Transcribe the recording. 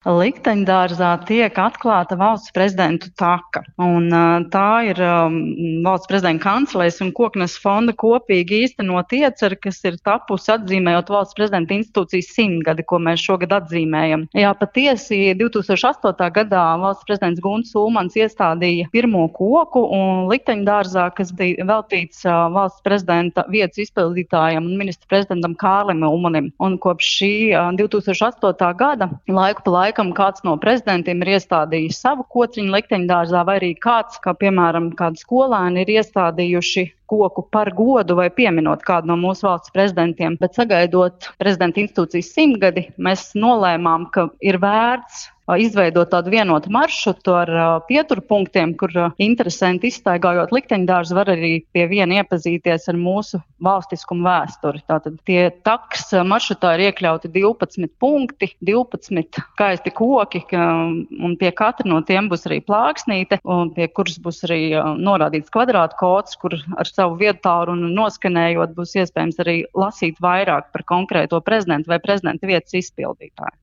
Likteņdārzā tiek atklāta valsts prezidentu taka, un tā ir valsts prezidenta kancelejas un Koknes fonda kopīgi īstenot ieceri, kas ir tapusi atzīmējot valsts prezidenta institūcijas 100-gadi, ko mēs šogad atzīmējam. Jā, patiesi 2008. gadā valsts prezidents Gunts Ulmans iestādīja pirmo koku un Likteņdārzā, kas bija veltīts valsts prezidenta vietas izpildītājam un ministra prezidentam Kārlim Ulmanim. Un kopš šī 2008. gada laiku pa laikam kāds no prezidentiem ir iestādījis savu kociņu Likteņdārzā, vai arī kāds, kā piemēram kādi skolēni, ir iestādījuši koku par godu vai pieminot kādu no mūsu valsts prezidentiem. Bet sagaidot prezidenta institūcijas 100-gadi, mēs nolēmām, ka ir vērts izveidot tādu vienotu maršrutu ar pieturpunktiem, kur interesanti izstaigājot Likteņdārzu var arī pie viena iepazīties ar mūsu valstiskumu vēsturi. Tātad tie taks maršrutā ir iekļauti 12 punkti, 12 skaisti koki, un pie katra no tiem būs arī plāksnīte, un pie kuras būs arī norādīts kvadrātu kods, kur ar savu viedtālruni noskanējot būs iespējams arī lasīt vairāk par konkrēto prezidentu vai prezidenta vietas izpildītāju.